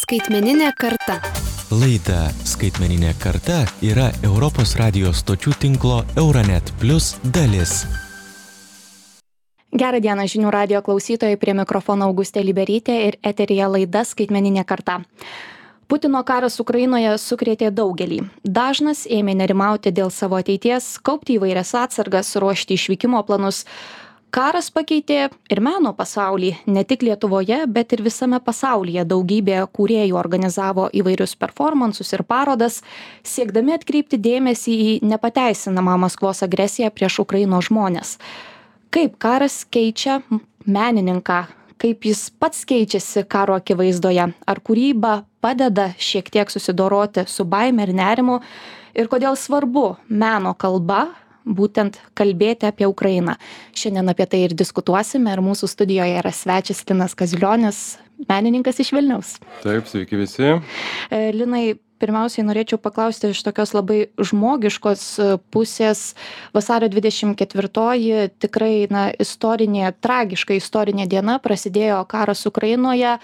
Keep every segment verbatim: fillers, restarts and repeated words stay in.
Skaitmeninė karta. Laida Skaitmeninė karta yra Europos radijo stočių tinklo Euranet Plus dalis. Gerą dieną žinių radijo klausytojai, prie mikrofono Augustė Liberytė ir eteryje laida Skaitmeninė karta. Putino karas Ukrainoje sukrėtė daugelį. Dažnas ėmė nerimauti dėl savo ateities, kaupti įvairias atsargas, ruošti išvykimo planus. Karas pakeitė ir meno pasaulį, ne tik Lietuvoje, bet ir visame pasaulyje. Daugybė kūrėjų organizavo įvairius performansus ir parodas, siekdami atkreipti dėmesį į nepateisinamą Maskvos agresiją prieš Ukrainos žmones. Kaip karas keičia menininką, kaip jis pats keičiasi karo akivaizdoje, ar kūryba padeda šiek tiek susidoroti su baime ir nerimu, ir kodėl svarbu meno kalba būtent kalbėti apie Ukrainą. Šiandien apie tai ir diskutuosime, ir mūsų studijoje yra svečias Linas Kaziulionis, menininkas iš Vilniaus. Taip, sveiki visi. Linai, pirmiausiai norėčiau paklausti iš tokios labai žmogiškos pusės. Vasario dvidešimt ketvirtoji tikrai na, istorinė, tragiška istorinė diena, prasidėjo karas Ukrainoje.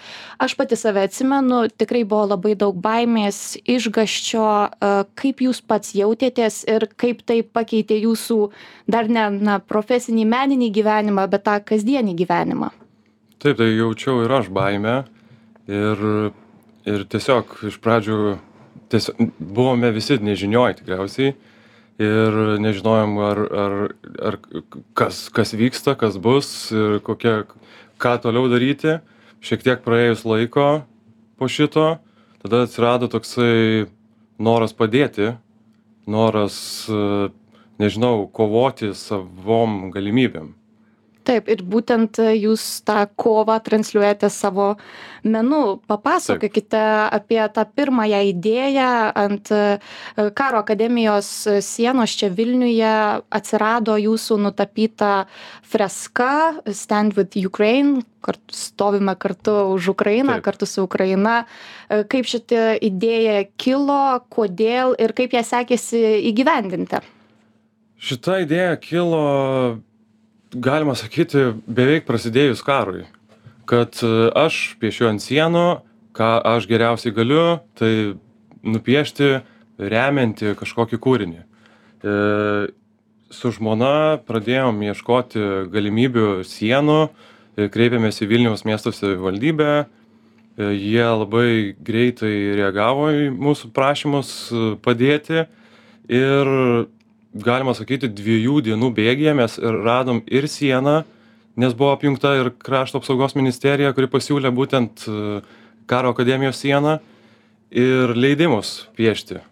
Aš pati save atsimenu, tikrai buvo labai daug baimės, išgąsčio. Kaip jūs pats jautėtės ir kaip tai pakeitė jūsų dar ne na, profesinį meninį gyvenimą, bet tą kasdienį gyvenimą? Taip, tai jaučiau ir aš baimę. Ir, ir tiesiog iš pradžių Tiesiog, buvome visi nežinioj tikriausiai ir nežinojom, ar, ar, ar kas, kas vyksta, kas bus ir kokia, ką toliau daryti. Šiek tiek praėjus laiko po šito, tada atsirado toksai noras padėti, noras, nežinau, kovoti savom galimybėm. Taip, ir būtent jūs tą kovą transliuojate savo menu. Papasakokite apie tą pirmąją idėją. Ant Karo akademijos sienos čia Vilniuje atsirado jūsų nutapyta freska Stand with Ukraine, kartu, stovime kartu už Ukrainą, Taip. Kartu su Ukraina. Kaip šitą idėją kilo, kodėl ir kaip ją sekėsi įgyvendinti? Šita idėja kilo, galima sakyti, beveik prasidėjus karui, kad aš piešiu ant sienų, ką aš geriausiai galiu, tai nupiešti, remianti kažkokį kūrinį. E, su žmona pradėjom ieškoti galimybių sienų, kreipėmės į Vilniaus miesto savivaldybę, e, jie labai greitai reagavo į mūsų prašymus padėti ir galima sakyti, dviejų dienų bėgyje mes radom ir sieną, nes buvo apjungta ir Krašto apsaugos ministerija, kuri pasiūlė būtent Karo akademijos sieną ir leidimus piešti.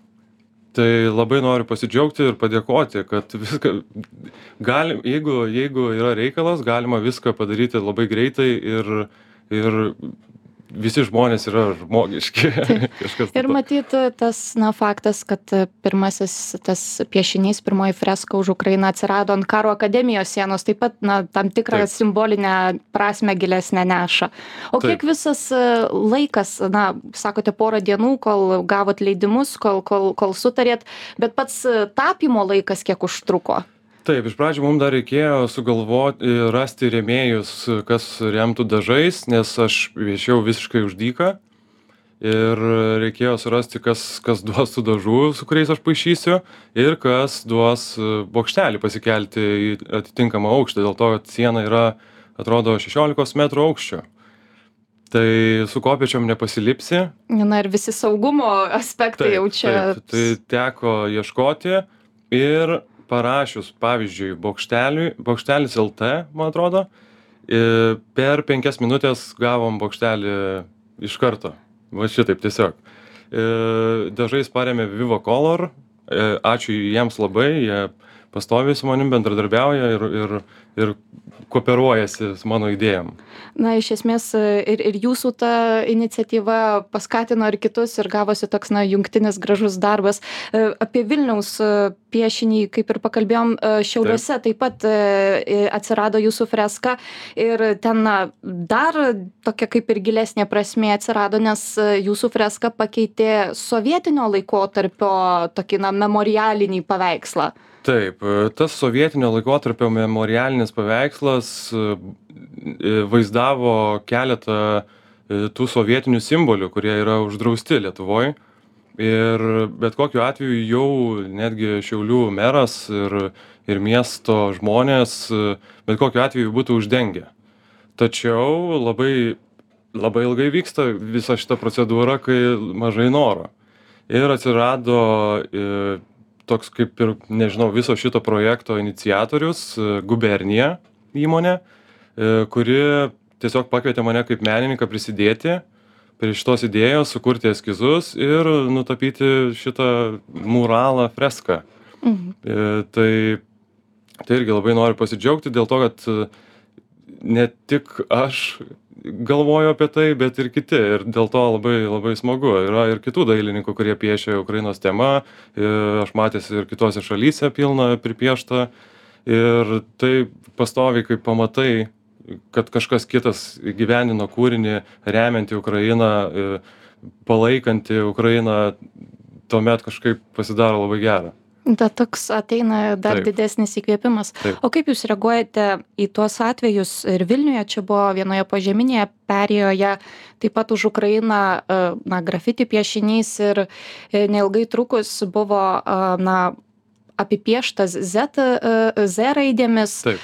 Tai labai noriu pasidžiaugti ir padėkoti, kad viską, galim, jeigu, jeigu yra reikalas, galima viską padaryti labai greitai ir, ir visi žmonės yra žmogiški. Ir matyt, tas na, faktas, kad pirmasis tas piešinys, pirmoji freska už Ukrainą atsirado ant Karo akademijos sienos, taip pat na, tam tikrą taip. Simbolinę prasmę gilesnę neša. O taip. Kiek visas laikas, na, sakote, porą dienų, kol gavot leidimus, kol, kol, kol sutarėt, bet pats tapymo laikas kiek užtruko? Taip, iš pradžių mums dar reikėjo sugalvoti, rasti rėmėjus, kas remtų dažais, nes aš viešiau visiškai už dyką ir reikėjo surasti, kas, kas duos tų dažų, su kuriais aš paišysiu ir kas duos bokštelį pasikelti į atitinkamą aukštą, dėl to, kad siena yra, atrodo, šešiolikos metrų aukščio. Tai su kopėčiom nepasilipsi. Na ir visi saugumo aspektai taip, jau čia. Taip, tai teko ieškoti ir parašius, pavyzdžiui, bokšteliui, bokštelis L T, man atrodo, per penkias minutės gavom bokštelį iš karto. Va šitaip tiesiog. Dažais paremė Viva Color, ačiū jiems labai, jie pastoviai su manim bendradarbiauja ir, ir, ir kooperuojasi su mano idėjom. Na, iš esmės ir, ir jūsų ta iniciatyva paskatino ir kitus ir gavosi toks, na, jungtinis gražus darbas. Apie Vilniaus piešinį, kaip ir pakalbėjom, Šiauliuose taip, taip pat atsirado jūsų freska ir ten na, dar tokia kaip ir gilesnė prasmė atsirado, nes jūsų freska pakeitė sovietinio laikotarpio tokį, na, memorialinį paveikslą. Taip, tas sovietinio laikotarpio memorialinis paveikslas vaizdavo keletą tų sovietinių simbolių, kurie yra uždrausti Lietuvoje. Ir bet kokiu atveju jau netgi Šiaulių meras ir, ir miesto žmonės bet kokiu atveju būtų uždengę. Tačiau labai, labai ilgai vyksta visa šita procedūra, kai mažai noro. Ir atsirado e, toks kaip ir, nežinau, viso šito projekto iniciatorius, Gubernija įmonė, e, kuri tiesiog pakvietė mane kaip menininką prisidėti prie šitos idėjos, sukurti eskizus ir nutapyti šitą muralą, freską. Mhm. E, tai, tai irgi labai noriu pasidžiaugti dėl to, kad ne tik aš galvoju apie tai, bet ir kiti. Ir dėl to labai, labai smagu. Yra ir kitų dailininkų, kurie piešia Ukrainos tema. Ir aš matęs ir kitose šalyse pilna pripiešta. Ir tai pastoviai, kai pamatai, kad kažkas kitas įgyvendino kūrinį, remiantį Ukrainą, palaikantį Ukrainą, tuomet kažkaip pasidaro labai gera. Da toks ateina dar Taip. didesnis įkvėpimas. Taip. O kaip jūs reaguojate į tuos atvejus ir Vilniuje, čia buvo vienoje požeminėje perėjoje, taip pat už Ukrainą, na, grafiti piešinys ir neilgai trukus buvo, na, apipieštas Z, Z raidėmis, Taip.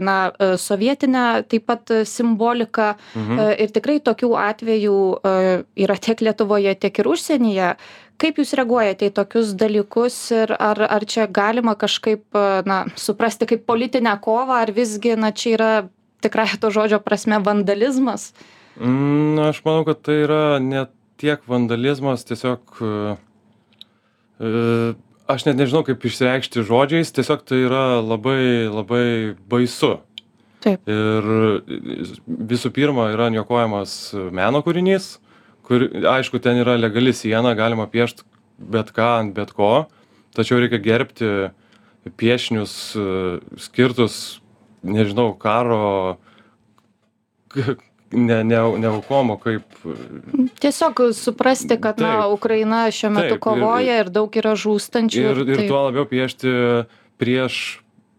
na, sovietinė taip pat simbolika. Mhm. Ir tikrai tokių atvejų yra tiek Lietuvoje, tiek ir užsienyje. Kaip jūs reaguojate į tokius dalykus ir ar, ar čia galima kažkaip, na, suprasti kaip politinę kovą, ar visgi, na, čia yra tikrai to žodžio prasme vandalizmas? Mm, aš manau, kad tai yra ne tiek vandalizmas, tiesiog e, aš net nežinau, kaip išsireikšti žodžiais, tiesiog tai yra labai, labai baisu. Taip. Ir visų pirma yra niokojamas meno kūrinys, kur, aišku, ten yra legali siena, galima piešti bet ką ant bet ko, tačiau reikia gerbti piešinius skirtus, nežinau, karo, ne, ne, ne aukomo, kaip... Tiesiog suprasti, kad, Taip. na, Ukraina šiuo metu Taip, kovoja ir- ir, ir daug yra žūstančių. Ir, ir Taip. tuo labiau piešti prieš,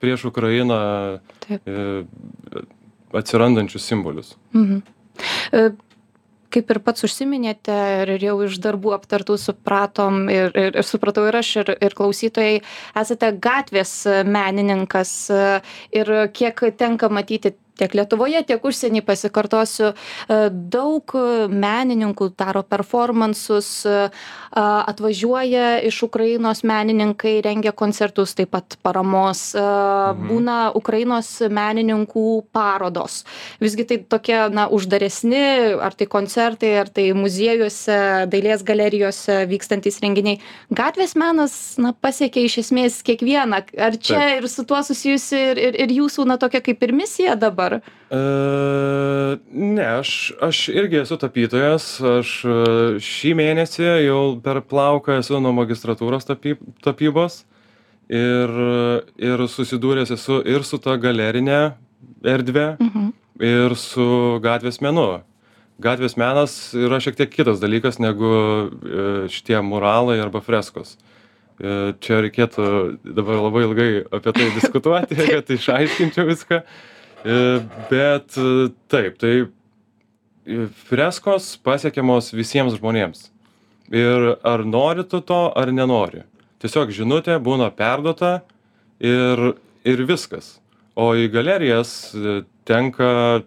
prieš Ukrainą Taip. e, atsirandančius simbolius. Mhm. E, Kaip ir pats užsiminėte ir jau iš darbų aptartų supratom ir, ir, ir supratau ir aš, ir, ir klausytojai, esate gatvės menininkas e, ir kiek tenka matyti tiek Lietuvoje, tiek užsienį, pasikartosiu, e, daug menininkų daro performansus, e, atvažiuoja iš Ukrainos menininkai, rengia koncertus, taip pat paramos, e, Mhm. būna Ukrainos menininkų parodos. Visgi tai tokie, na, uždaresni, ar tai koncertai, ar tai muziejuose, dailės galerijose vykstantys renginiai. Gatvės menas, na, pasiekia iš esmės kiekvieną. Ar čia Taip. ir su tuo susijusi ir, ir, ir jūsų, na, tokia kaip ir misija dabar? E, ne, aš, aš irgi esu tapytojas. Aš e, šį mėnesį jau per plauką esu nuo magistratūros tapy, tapybos ir, ir susidūręs esu ir su ta galerinė erdvė, Mhm. ir su gatvės menu. Gatvės menas yra šiek tiek kitas dalykas negu e, šitie muralai arba freskos. E, Čia reikėtų dabar labai ilgai apie tai diskutuoti, kad išaiškinčiau viską. E, Bet e, taip, tai e, freskos pasiekiamos visiems žmonėms. Ir ar nori tu to, ar nenori. Tiesiog žinutė būna perduota ir, ir viskas. O į galerijas e, tenka,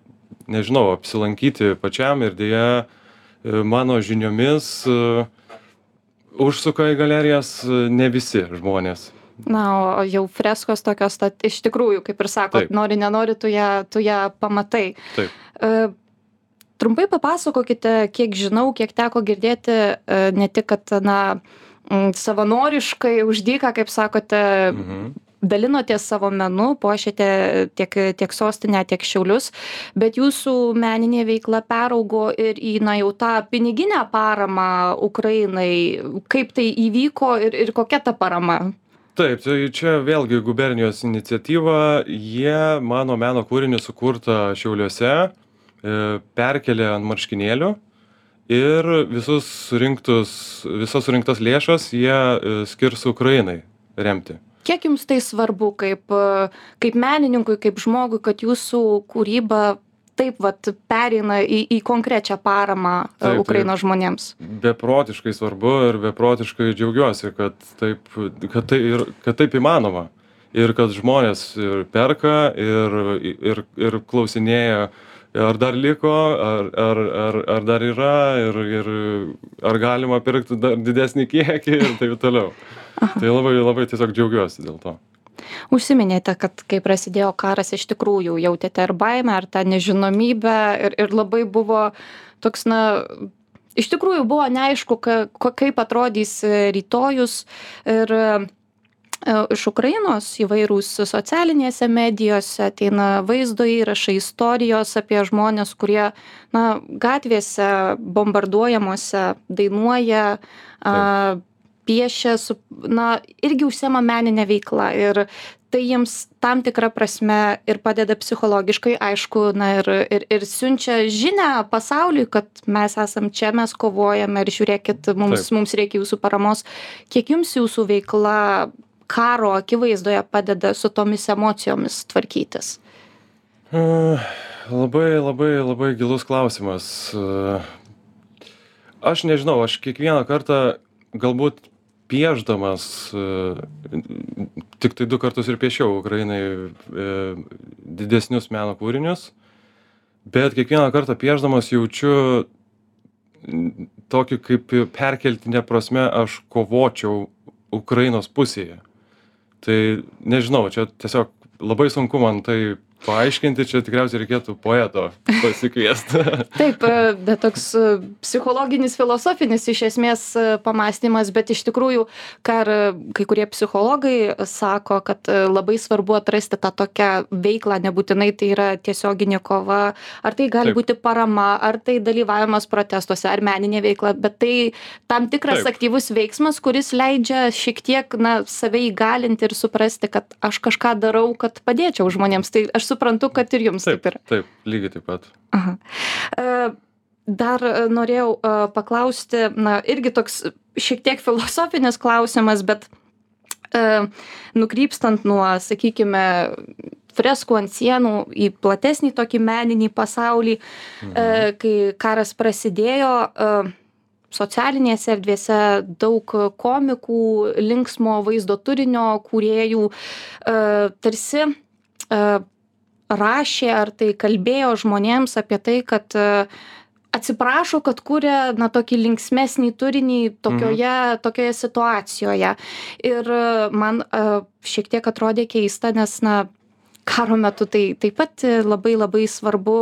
nežinau, apsilankyti pačiam ir dėja e, mano žiniomis e, užsuka į galerijas e, ne visi žmonės. Na, o jau freskos tokios, tad iš tikrųjų, kaip ir sakot, Taip. nori, nenori, tu ją, tu ją pamatai. Taip. E, Trumpai papasakokite, kiek žinau, kiek teko girdėti, e, ne tik, kad, na, m, savanoriškai už dyką, kaip sakote, Mhm. dalinotės savo menu, puošėte tiek, tiek sostinę, tiek Šiaulius, bet jūsų meninė veikla peraugo ir į, na, jau tą piniginę paramą Ukrainai. Kaip tai įvyko ir, ir kokia ta parama? Taip, tai čia vėlgi gubernijos iniciatyva. Jie mano meno kūrinį sukurtą Šiauliuose e, perkelė ant marškinėlių ir visus surinktus, visas surinktas lėšas jie e, skirs Ukrainai remti. Kiek jums tai svarbu kaip, e, kaip menininkui, kaip žmogui, kad jūsų kūryba taip vat pereina į, į konkrečią paramą Taip, Ukrainos taip. žmonėms? Beprotiškai svarbu ir beprotiškai džiaugiuosi, kad taip, kad tai ir, kad taip įmanoma. Ir kad žmonės ir perka, ir, ir, ir klausinėja, ar dar liko, ar, ar, ar, ar dar yra, ir, ir ar galima pirkti dar didesnį kiekį ir taip toliau. Aha. Tai labai, labai tiesiog džiaugiuosi dėl to. Užsiminėte, kad kai prasidėjo karas, iš tikrųjų jautėte ir baimę, ar tą nežinomybę, ir, ir labai buvo toks, na, iš tikrųjų buvo neaišku, ka, kaip atrodys rytojus. Ir iš Ukrainos įvairūs socialinėse medijose ateina vaizdo įrašai, istorijos apie žmonės, kurie, na, gatvėse bombarduojamuose dainuoja, a, piešia, su, na, irgi užsiema meninę veiklą. Ir tai jiems tam tikrą prasme ir padeda psichologiškai, aišku, na, ir, ir, ir siunčia žinią pasauliui, kad mes esam čia, mes kovojame ir žiūrėkit, mums, Taip. mums reikia jūsų paramos. Kiek jums jūsų veikla karo akivaizdoje padeda su tomis emocijomis tvarkytis? Uh, labai, labai, labai gilus klausimas. Uh, aš nežinau, aš kiekvieną kartą galbūt piešdamas, uh, tik tai du kartus ir piešiau Ukrainai uh, didesnius meno kūrinius, bet kiekvieną kartą piešdamas jaučiu tokį kaip perkeltinę prasme aš kovočiau Ukrainos pusėje. Tai nežinau, čia tiesiog labai sunku man tai paaiškinti, čia tikriausiai reikėtų poeto pasikviesti. Taip, bet toks psichologinis, filosofinis iš esmės pamąstymas, bet iš tikrųjų, ką kai kurie psichologai sako, kad labai svarbu atrasti tą tokią veiklą, nebūtinai tai yra tiesioginė kova, ar tai gali Taip. būti parama, ar tai dalyvavimas protestuose, ar meninė veikla, bet tai tam tikras Taip. aktyvus veiksmas, kuris leidžia šiek tiek, na, save įgalinti ir suprasti, kad aš kažką darau, kad padėčiau žmonėms. Tai aš suprantu, kad ir jums taip, taip yra. Taip, lygiai taip pat. Aha. Dar norėjau paklausti, na, irgi toks šiek tiek filosofinis klausimas, bet nukrypstant nuo, sakykime, freskų ant sienų į platesnį tokį meninį pasaulį, mhm. kai karas prasidėjo, socialinėse erdvėse daug komikų, linksmo vaizdo turinio kūrėjų tarsi rašė ar tai kalbėjo žmonėms apie tai, kad atsiprašo, kad kuria, na, tokį linksmesnį turinį tokioje, mhm. tokioje situacijoje. Ir man šiek tiek atrodė keista, nes, na, karo metu tai taip pat labai labai svarbu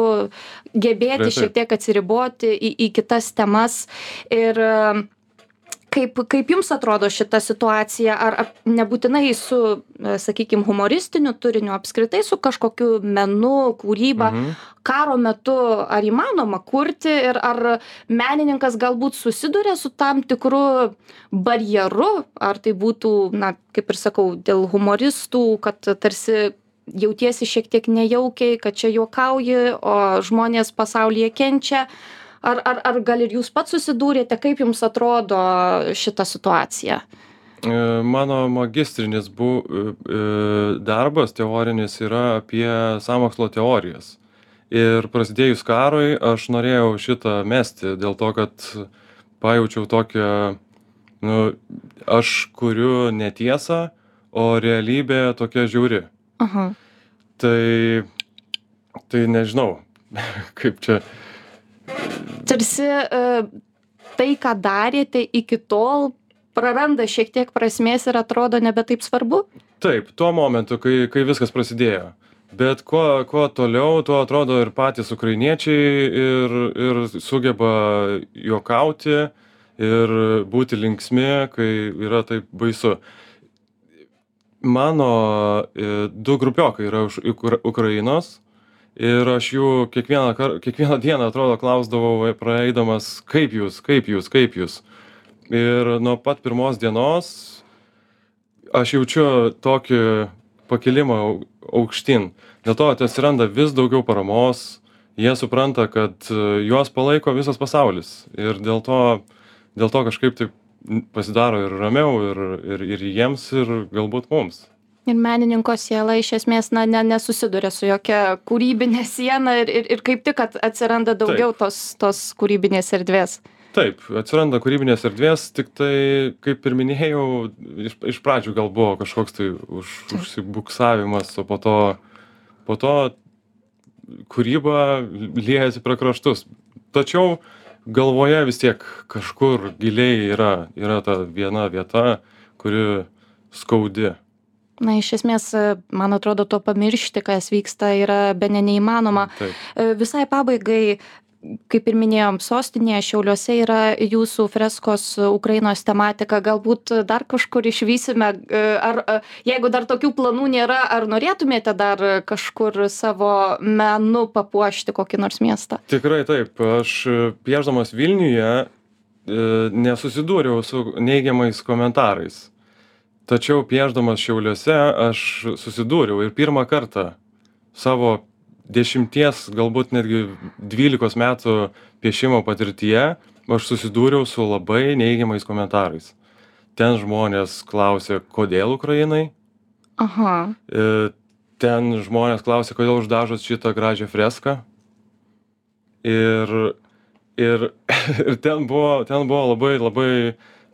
gebėti Reitai. šiek tiek atsiriboti į, į kitas temas. Ir Kaip, kaip jums atrodo šita situacija, ar, ar nebūtinai su, sakykime, humoristiniu turiniu, apskritai su kažkokiu menu, kūryba, mhm. karo metu ar įmanoma kurti ir ar menininkas galbūt susiduria su tam tikru barjeru, ar tai būtų, na, kaip ir sakau, dėl humoristų, kad tarsi jautiesi šiek tiek nejaukiai, kad čia juokauji, o žmonės pasaulyje kenčia. Ar, ar, ar gal ir jūs pats susidūrėte, kaip jums atrodo šita situacija? Mano magistrinis bu, darbas teorinis yra apie sąmokslo teorijas. Ir prasidėjus karui aš norėjau šitą mesti dėl to, kad pajaučiau tokią, nu, aš kuriu netiesą, o realybė tokia žiauri. Aha. Tai, tai nežinau, kaip čia... Tarsi tai, ką darėte iki tol, praranda šiek tiek prasmės ir atrodo nebe taip svarbu? Taip, tuo momentu, kai, kai viskas prasidėjo. Bet kuo, kuo toliau, tuo atrodo ir patys ukrainiečiai ir, ir sugeba juokauti ir būti linksmi, kai yra taip baisu. Mano du grupiokai yra iš Ukrainos. Ir aš jų kiekvieną, kar... kiekvieną dieną, atrodo, klausdavau praeidamas, kaip jūs, kaip jūs, kaip jūs. Ir nuo pat pirmos dienos aš jaučiu tokį pakilimą aukštyn. Dėl to atsiranda vis daugiau paramos, jie supranta, kad juos palaiko visas pasaulis. Ir dėl to, dėl to kažkaip taip pasidaro ir ramiau, ir, ir, ir jiems, ir galbūt mums. Ir menininko siela iš esmės na, ne, nesusiduria su jokia kūrybinė siena ir, ir, ir kaip tik at- atsiranda daugiau Taip. tos, tos kūrybinės erdvės. Taip, atsiranda kūrybinės erdvės, tik tai, kaip ir minėjau, iš, iš pradžių gal buvo kažkoks tai už, užsibuksavimas, o po to, po to kūryba liejasi pro kraštus. Tačiau galvoje vis tiek kažkur giliai yra, yra ta viena vieta, kuri skaudi. Na, iš esmės, man atrodo, to pamiršti, kas vyksta, yra bene neįmanoma. Taip. E, Visai pabaigai, kaip ir minėjom, sostinėje Šiauliuose yra jūsų freskos Ukrainos tematika. Galbūt dar kažkur išvysime, e, ar e, jeigu dar tokių planų nėra, ar norėtumėte dar kažkur savo menu papuošti kokį nors miestą? Tikrai taip. Aš e, piešdamas Vilniuje e, nesusidūriau su neigiamais komentarais. Tačiau piešdamas Šiauliuose aš susidūriau ir pirmą kartą savo dešimties, galbūt netgi dvylikos metų piešimo patirtyje aš susidūriau su labai neigiamais komentarais. Ten žmonės klausė, kodėl Ukrainai. Aha. E, Ten žmonės klausė, kodėl uždažot šitą gražią freską. Ir, ir, ir ten, buvo, ten buvo labai, labai,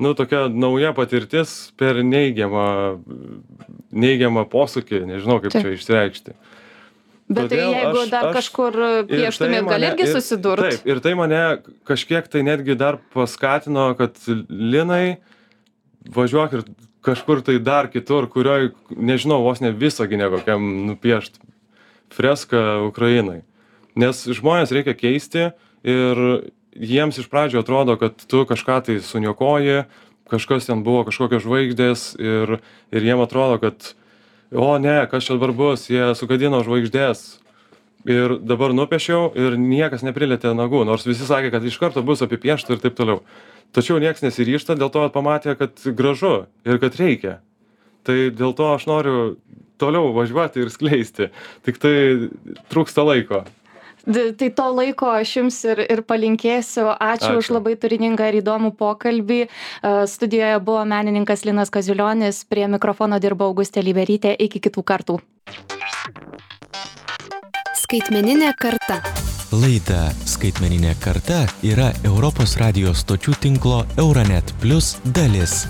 nu, tokia nauja patirtis per neigiamą, neigiamą posūkį, nežinau kaip Taip. čia išsireikšti. Bet tai Todėl jeigu aš- dar aš- kažkur Ir pieštumėt, tai gal mane- irgi ir- susidurt? Taip, ir tai mane kažkiek tai netgi dar paskatino, kad Linai, važiuok ir kažkur tai dar kitur, kurioj, nežinau, vos ne Visagine kokiam nupiešt freską Ukrainai. Nes žmonės reikia keisti ir jiems iš pradžio atrodo, kad tu kažką tai suniokoji, kažkas ten buvo, kažkokios žvaigždės ir, ir jiem atrodo, kad o ne, kas čia dabar bus, jie sugadino žvaigždės. Ir dabar nupiešiau ir niekas neprilėtė nagų, nors visi sakė, kad iš karto bus apipiešta ir taip toliau. Tačiau niekas nesiryžta, dėl to pamatė, kad gražu ir kad reikia. Tai dėl to aš noriu toliau važiuoti ir skleisti. Tik tai trūksta laiko. D- Tai to laiko aš jums ir, ir palinkėsiu. Ačiū, Ačiū. už labai turiningą ir įdomų pokalbį. E, Studijoje buvo menininkas Linas Kaziulionis, prie mikrofono dirbo Augustė Liberytė. Iki kitų kartų. Skaitmeninė karta. Laida Skaitmeninė karta yra Europos radijos stočių tinklo Euronet Plus dalis.